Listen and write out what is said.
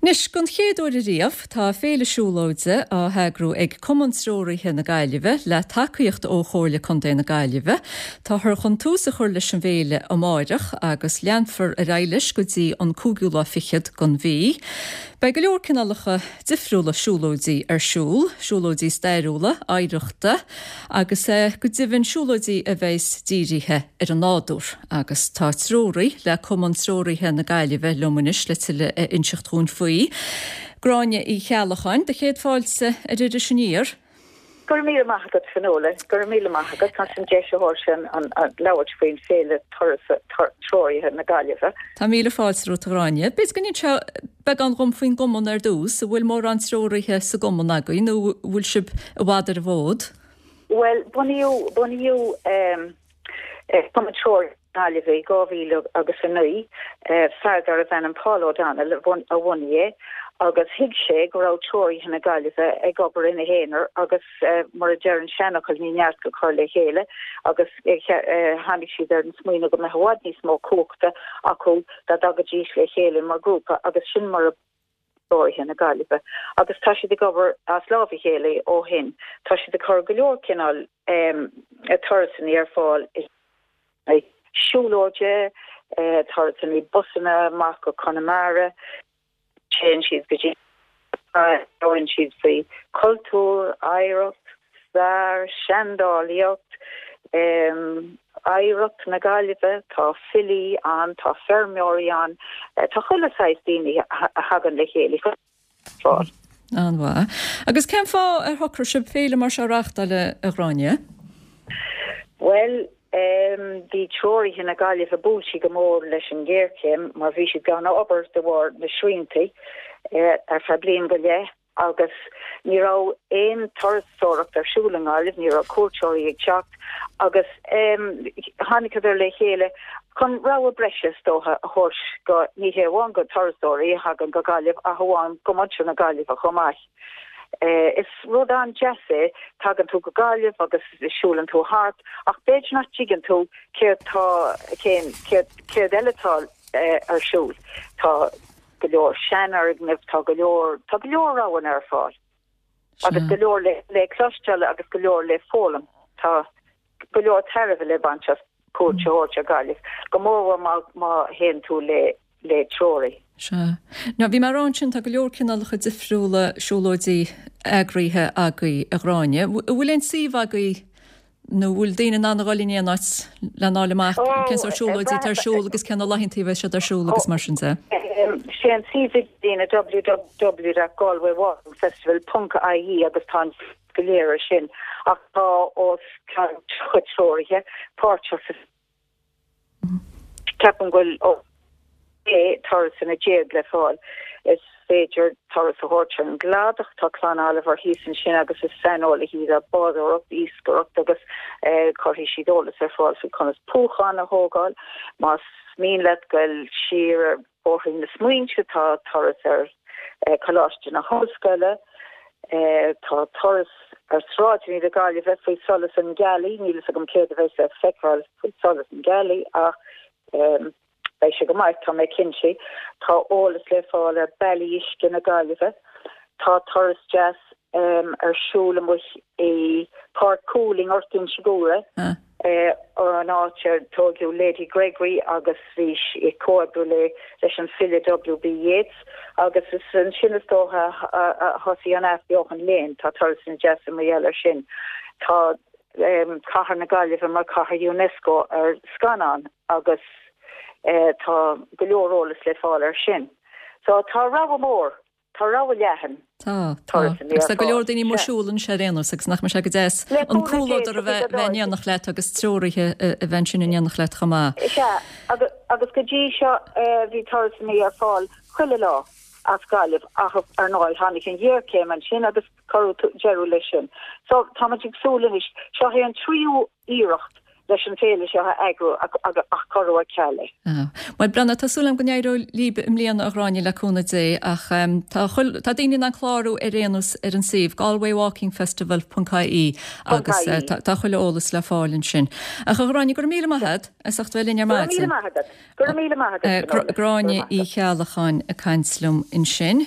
Anois, don chéad uair ariamh, tá féile siúlóide á heagrú ag Cumann Treoraithe na Gaillimhe le tacaíocht ó Chomhairle Contae na Gaillimhe. Táthar chun tús a chur leis an bhféile amáireach agus leanfar ar aghaidh leis go dtí an cúigiú lá fichead den mhí. Beidh go leor cineálacha difriúla siúlóidí ar siúl, siúlóidí stairiúla, oidhreachta agus go deimhin siúlóidí a bheas dírithe ar an nádúr. Agus tá treoraí le Cumann Treoraithe na Gaillimhe liom anois le tuilleadh a inseacht dhúinn faoi. Gráinne Uí Cheallacháin, do chéad fáilte ar Iris Aniar. Go raibh míle maith agat, Fionnuala. Go raibh míle maith agat as an deis a thabhairt an labhairt faoin Féile Turas Treoraithe na Gaillimhe. Tá míle fáilte romhat, a Ghráinne. B'fhéidir go n-inseofá beagán dhom faoin gcumann ar dtús. An bhfuil mórán treoraithe sa gcumann agaibh nó an bhfuil sibh i bhfad ar an bhfód? Bhuel, bunaíodh, bunaíodh, Cumann Treoraithe na Gaillimhe i 2009, fear darbh ainm Paul O'Donnell a bhunaigh é agus thuig sé go raibh treoraithe na Gaillimhe ag obair ina n-aonar agus mar a deir an seanfhocal ní neart go cur le chéile agus tháinig siad ar an smaoineamh go mbeadh i bhfad níos mó cumhachta acu dá dtagaidís le chéile mar ghrúpa agus sin mar a Treoraithe na Gaillimhe agus tá siad ag obair as lámh a chéile ó shin. Tá siad ag cur go leor cineál turasanna ar fáil, siúlóide, turasanna busanna amach go Conamara, téann siad go dtí, labhraíonn siad faoi chultúr, oidhreacht, stair, seandálaíocht, oidhreacht na Gaillimhe, tá filí ann, tá feirmeoirí ann, tá chuile saghas daoine a thagann le chéile chun fáil. An-mhaith. Agus cén fáth ar shocraigh sibh féile mar seo a reáchtáil, a Ghráinne? Bhuel, bhí treoraithe na Gaillimhe buailte go mór leis an ghéarchéim mar bhí siad gan obair de bharr na sriantaí ar feadh bliain go leith. agus ní raibh aon turasóireacht ar siúl i nGaillimh, ní raibh cuairteoirí ag teacht agus tháinigeadar le chéile chun rogha breise is dócha a thabhairt go, ní hé amháin go turasóirí a thagann go Gaillimh ach amháin go muintir na Gaillimhe chomh maith. Is rud an-deas é, tagann tú go Gaillimh agus siúlann tú thart ach b'fhéidir nach dtuigeann tú céard tá, cén, céard, céard eile atá ar siúl. Tá. go leor seanfhoirgneamh, tá go leor, tá go leor roghanna ar fáil. Agus go leor le, le cloisteáil agus go leor le foghlaim. Tá go leor tairbhe le baint as cuairt a thabhairt ar Ghaillimh, go mórmhór má, má théann tú le, le treoraí. Sea. Now, bhí mé ag rá ansin, tá go leor cineálacha difriúla siúlóidí eagraithe agaibh, a Ghráinne. An bhfuil aon suíomh agaibh Nó bhfuil daoine in ann a dhul in aon áit lena fháil amach cén sórt siúlóidí atá ar siúl agus cé na laethanta a bheidh siad ar siúl agus mar sin de? Sé an suíomh idirlín www.galwaywalkingfestival.ie agus tá an go léir ar sin ach tá os cionn 30 treoraithe páirteach sa Ceapaim go bhfuil 16 turasanna le fáil. Is féidir turas a thabhairt ar an gcladach, tá Clann Oliver thíos ansin agus is saineolaithe iad ar bádóireacht, iascaireacht agus cuirfidh siad eolas ar fáil faoi conas puachán a thógáil. Más mian leat goil siar ar Bhóithrín na Smaointe, tá turas ar Choláiste na hOllscoile, tá turas ar sráideanna na Gaillimhe faoi solas an ghealaí, níl fhios agam céard a bheas le feiceáil faoi solas an ghealaí ach beidh sé go maith, tá mé cinnte. Tá eolas le fáil ar bealaí uisce na Gaillimhe. Tá turas deas ar siúl amuigh i Páirc Cúil i nGort Inse Guaire, an áit ar tóigeadh Lady Gregory agus bhí sí ag comhoibriú le leis an file W.B. Yeats agus is ansin is dócha a thosaigh an athbheochan léinn. Tá turasanna deasa mar gheall air sin. Tá cathair na Gaillimhe mar cathair Unesco ar scannán agus tá go leor eolas le fáil air sin. So tá rogha mór Tá rogha leathan Tá, tá. Agus tá go leor daoine amuigh ag siúl anois ar aon nós agus nach mbeadh sé go deas an comhluadar a bheith in éineacht leat agus treoraithe a bheith ansin in éineacht leat chomh maith. Is ea, agus go dtí seo bhí turasanna ar fáil chuile lá as Gaillimh ach ar ndóigh tháinig an ghéarchéim ansin agus cuireadh deireadh leis sin. So táimid ag súil anois, seo é an tríú iarracht leis an bhféile seo a eagrú ach cuireadh ar ceal é. Bhuel, breathnaigh, tá súil agam go n-éireoidh libh i mbliana, a Ghráinne, le cúnamh Dé, ach tá tá daoine in ann clárú ar aon nós ar an suíomh, galwaywalkingfestival ponc ie agus tá chuile eolas le fáil ansin. Ach a Ghráinne, go raibh míle maith agat as ucht bheith linn ar maidin. Go raibh míle maith agat. Go raibh míle maith agat. Gráinne Uí Cheallacháin ag caint liom ansin.